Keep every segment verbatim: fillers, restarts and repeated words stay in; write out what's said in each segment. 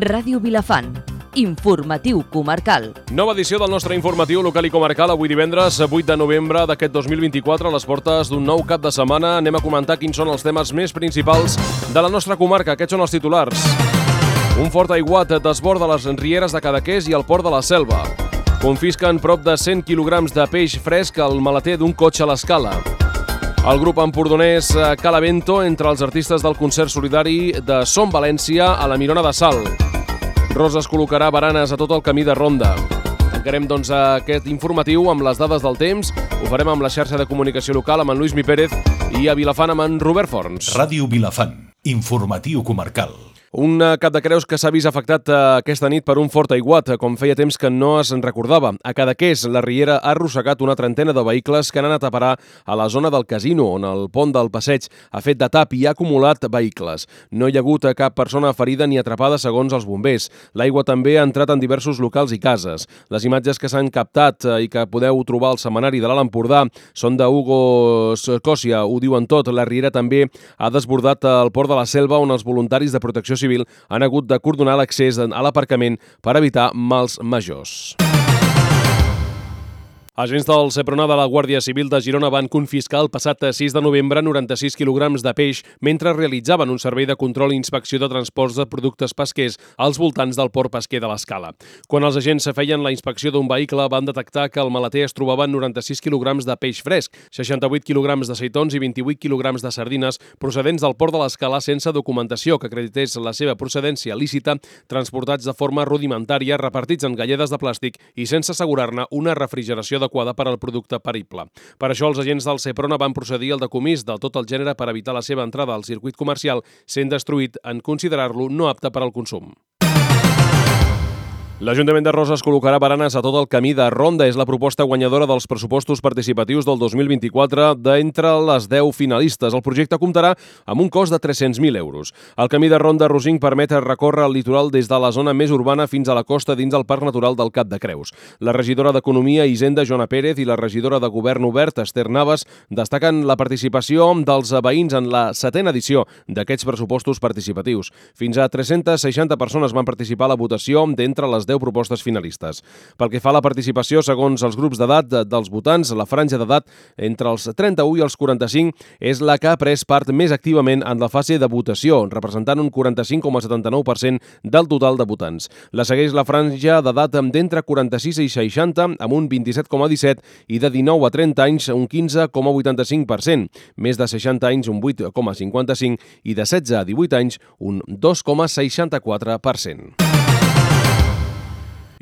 Ràdio Vilafant. Informatiu comarcal. Nova edició del nostre informatiu local i comarcal avui divendres vuit de novembre d'aquest dos mil vint-i-quatre, a les portes d'un nou cap de setmana. Anem a comentar quins són els temes més principals de la nostra comarca. Aquests són els titulars. Un fort aiguat desborda les rieres de Cadaqués i el port de la Selva. Confisquen prop de cent quilograms de peix fresc al maleter d'un cotxe a l'Escala. El grup empordonès Calavento entre els artistes del concert solidari de Som València a la Mirona de Salt. Roses col·locarà baranes a tot el camí de Ronda. Tancarem, doncs, aquest informatiu amb les dades del temps. Ho farem amb la xarxa de comunicació local amb en Lluís Mi Pérez i a Vilafant amb en Robert Forns. Ràdio Vilafant, informatiu comarcal. Un cap de Creus que s'ha vist afectat aquesta nit per un fort aiguat, com feia temps que no es recordava. A Cadaqués, la riera ha arrossegat una trentena de vehicles que han anat a parar a la zona del casino, on el pont del passeig ha fet de tap i ha acumulat vehicles. No hi ha hagut cap persona ferida ni atrapada, segons els bombers. L'aigua també ha entrat en diversos locals i cases. Les imatges que s'han captat i que podeu trobar al setmanari de l'Alt Empordà són de Hugo Escòcia, ho diuen tot. La riera també ha desbordat el port de la Selva, on els voluntaris de protecció civil han hagut de cordonar l'accés a l'aparcament per evitar mals majors. Agents del Seprona de la Guàrdia Civil de Girona van confiscar el passat sis de novembre noranta-sis quilograms de peix mentre realitzaven un servei de control i inspecció de transports de productes pesquers als voltants del port pesquer de l'Escala. Quan els agents feien la inspecció d'un vehicle van detectar que al maleter es trobaven noranta-sis quilograms de peix fresc, seixanta-vuit quilograms de seitons i vint-i-vuit quilograms de sardines procedents del port de l'Escala sense documentació que acredités la seva procedència lícita, transportats de forma rudimentària, repartits en galledes de plàstic i sense assegurar-ne una refrigeració adequada per al producte perible. Per això els agents del Seprona van procedir al decomís de tot el gènere per evitar la seva entrada al circuit comercial, sent destruït en considerar-lo no apte per al consum. L'Ajuntament de Roses col·locarà baranes a tot el camí de Ronda. És la proposta guanyadora dels pressupostos participatius del dos mil vint-i-quatre d'entre les deu finalistes. El projecte comptarà amb un cost de tres-cents mil euros. El camí de Ronda Rosinc permet recórrer el litoral des de la zona més urbana fins a la costa dins el Parc Natural del Cap de Creus. La regidora d'Economia i Hisenda, Joana Pérez, i la regidora de Govern Obert, Esther Navas, destaquen la participació dels veïns en la setena edició d'aquests pressupostos participatius. Fins a tres-centes seixanta persones van participar a la votació d'entre les deu propostes finalistes. Pel que fa a la participació, segons els grups d'edat dels votants, la franja d'edat entre els trenta-u i els quaranta-cinc és la que ha pres part més activament en la fase de votació, representant un quaranta-cinc coma setanta-nou per cent del total de votants. La segueix la franja d'edat d'entre quaranta-sis i seixanta, amb un vint-i-set coma disset, i de dinou a trenta anys, un quinze coma vuitanta-cinc per cent. Més de seixanta anys, un vuit coma cinquanta-cinc, i de setze a divuit anys, un dos coma seixanta-quatre per cent.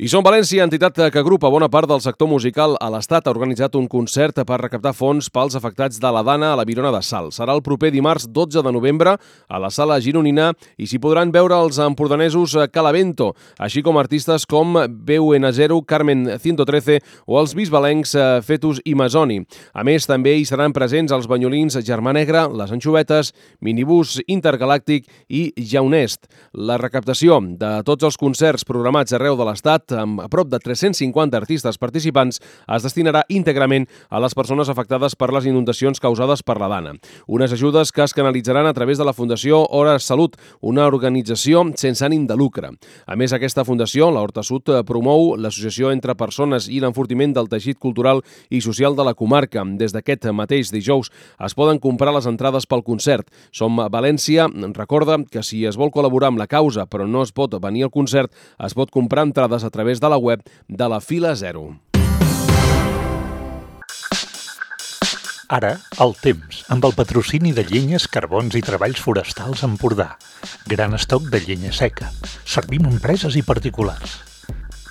I Som València, entitat que agrupa bona part del sector musical a l'Estat, ha organitzat un concert per recaptar fons pels afectats de la Dana a la Mirona de Salt. Serà el proper dimarts dotze de novembre a la Sala Gironina i s'hi podran veure els empordanesos Calavento, així com artistes com B U N zero, Carmen ciento trece o els bisbalencs Fetus i Masoni. A més, també hi seran presents els banyolins Germà Negre, les Anxovetes, Minibús Intergalàctic i Jaunest. La recaptació de tots els concerts programats arreu de l'Estat, amb a prop de tres-cents cinquanta artistes participants, es destinarà íntegrament a les persones afectades per les inundacions causades per la Dana. Unes ajudes que es canalitzaran a través de la Fundació Hores Salut, una organització sense ànim de lucre. A més, aquesta fundació, la Horta Sud, promou l'associació entre persones i l'enfortiment del teixit cultural i social de la comarca. Des d'aquest mateix dijous es poden comprar les entrades pel concert. Som València recorda que si es vol col·laborar amb la causa però no es pot venir al concert, es pot comprar entrades a través de la web de la Fila Zero. Ara, el temps, amb el patrocini de Llenyes, Carbons i Treballs Forestals Empordà. Gran estoc de llenya seca. Servim a empreses i particulars.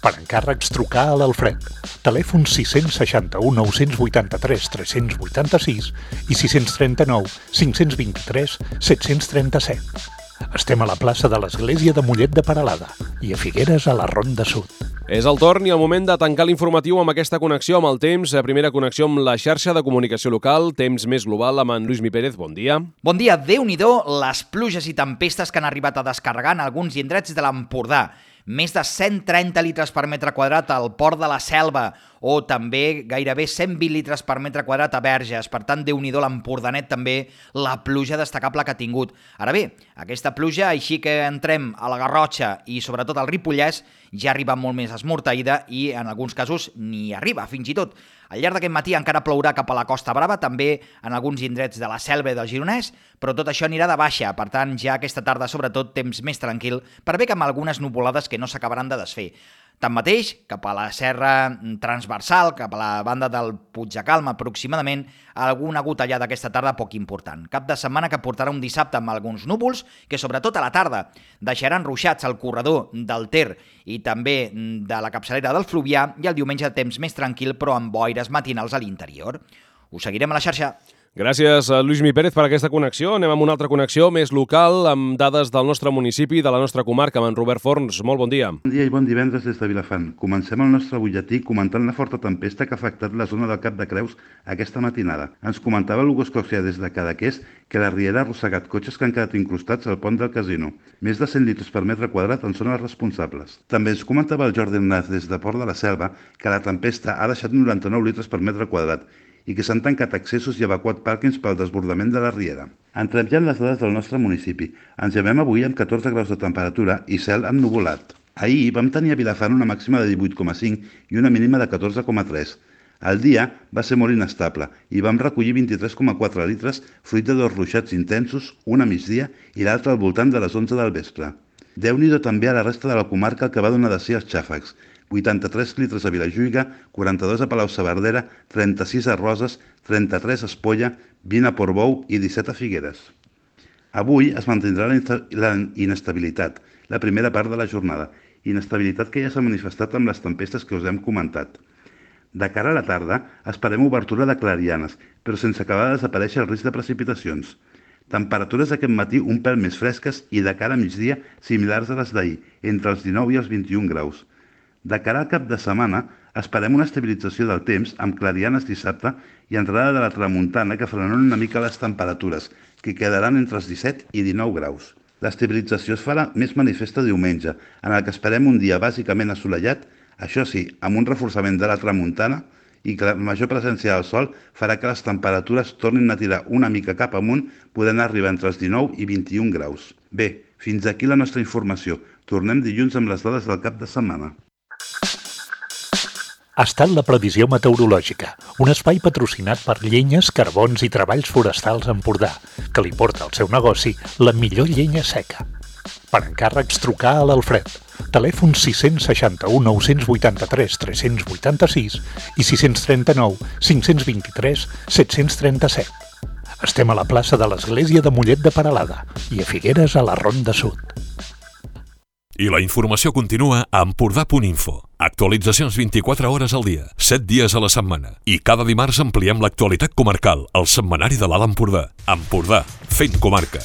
Per encàrrecs, trucar a l'Alfred. Telèfon sis seixanta-u nou vuitanta-tres tres vuitanta-sis i sis trenta-nou cinc vint-i-tres set trenta-set. Estem a la plaça de l'Església de Mollet de Peralada i a Figueres a la Ronda Sud. És el torn i el moment de tancar l'informatiu amb aquesta connexió amb el temps. Primera connexió amb la xarxa de comunicació local, temps més global, amb en Lluís Mi Pérez. Bon dia. Bon dia. Déu-n'hi-do les pluges i tempestes que han arribat a descarregar en alguns indrets de l'Empordà. més de cent trenta litres per metre quadrat al Port de la Selva, o també gairebé cent vint litres per metre quadrat a Verges. Per tant, Déu-n'hi-do l'Empordanet també, la pluja destacable que ha tingut. Ara bé, aquesta pluja, així que entrem a la Garrotxa i sobretot al Ripollès, ja arriba molt més esmorteïda i en alguns casos ni arriba, fins i tot. Al llarg d'aquest matí encara plourà cap a la Costa Brava, també en alguns indrets de la Selva i del Gironès, però tot això anirà de baixa. Per tant, ja aquesta tarda, sobretot, temps més tranquil, per bé que amb algunes nuvolades que no s'acabaran de desfer. Tanmateix, cap a la serra transversal, cap a la banda del Puigdecalm aproximadament, alguna gotellada aquesta tarda poc important. Cap de setmana que portarà un dissabte amb alguns núvols que, sobretot a la tarda, deixaran ruixats al corredor del Ter i també de la capçalera del Fluvià, i el diumenge temps més tranquil però amb boires matinals a l'interior. Us seguirem a la xarxa. Gràcies a Lluís Mi Pérez per aquesta connexió. Anem amb una altra connexió més local, amb dades del nostre municipi, de la nostra comarca, amb en Robert Forns. Molt bon dia. Bon dia i bon divendres des de Vilafant. Comencem el nostre butlletí comentant la forta tempesta que ha afectat la zona del Cap de Creus aquesta matinada. Ens comentava l'Hugo Escorcia des de Cadaqués que la riera ha arrossegat cotxes que han quedat incrustats al pont del casino. Més de cent litres per metre quadrat en són els responsables. També ens comentava el Jordi Naz des de Port de la Selva que la tempesta ha deixat noranta-nou litres per metre quadrat i que s'han tancat accessos i evacuat pàrquings pel desbordament de la riera. Entrem ja en les dades del nostre municipi. Ens llevem avui amb catorze graus de temperatura i cel ennuvolat. Ahir vam tenir a Vilafant una màxima de divuit coma cinc i una mínima de catorze coma tres. El dia va ser molt inestable i vam recollir vint-i-tres coma quatre litres fruit de dos ruixats intensos, un a migdia i l'altre al voltant de les onze del vespre. Déu-n'hi-do també a la resta de la comarca el que va donar de si els xàfecs. vuitanta-tres litres a Vilajuïga, quaranta-dos a Palau-saverdera, trenta-sis a Roses, trenta-tres a Espolla, vint a Portbou i disset a Figueres. Avui es mantindrà la inestabilitat, la primera part de la jornada, inestabilitat que ja s'ha manifestat amb les tempestes que us hem comentat. De cara a la tarda, esperem obertura de clarianes, però sense acabar de desaparèixer el risc de precipitacions. Temperatures aquest matí un pèl més fresques i de cara a migdia similars a les d'ahir, entre els dinou i els vint-i-un graus. De cara al cap de setmana, esperem una estabilització del temps amb clarianes dissabte i entrada de la tramuntana que frenaran una mica les temperatures, que quedaran entre els disset i dinou graus. L'estabilització es farà més manifesta diumenge, en el que esperem un dia bàsicament assolellat, això sí, amb un reforçament de la tramuntana i que la major presència del sol farà que les temperatures tornin a tirar una mica cap amunt, podent arribar entre els dinou i vint-i-un graus. Bé, fins aquí la nostra informació. Tornem dilluns amb les dades del cap de setmana. Ha estat la previsió meteorològica, un espai patrocinat per Llenyes, Carbons i Treballs Forestals Empordà, que li porta al seu negoci la millor llenya seca. Per encàrrecs, trucar a l'Alfred. Telèfon sis seixanta u nou vuitanta-tres tres vuitanta-sis i sis trenta-nou cinc vint-i-tres set trenta-set. Estem a la plaça de l'Església de Mollet de Peralada i a Figueres a la Ronda Sud. I la informació continua a empordà punt info. Actualitzacions vint-i-quatre hores al dia, set dies a la setmana. I cada dimarts ampliem l'actualitat comarcal al setmanari de l'Alt Empordà. Empordà, fent comarca.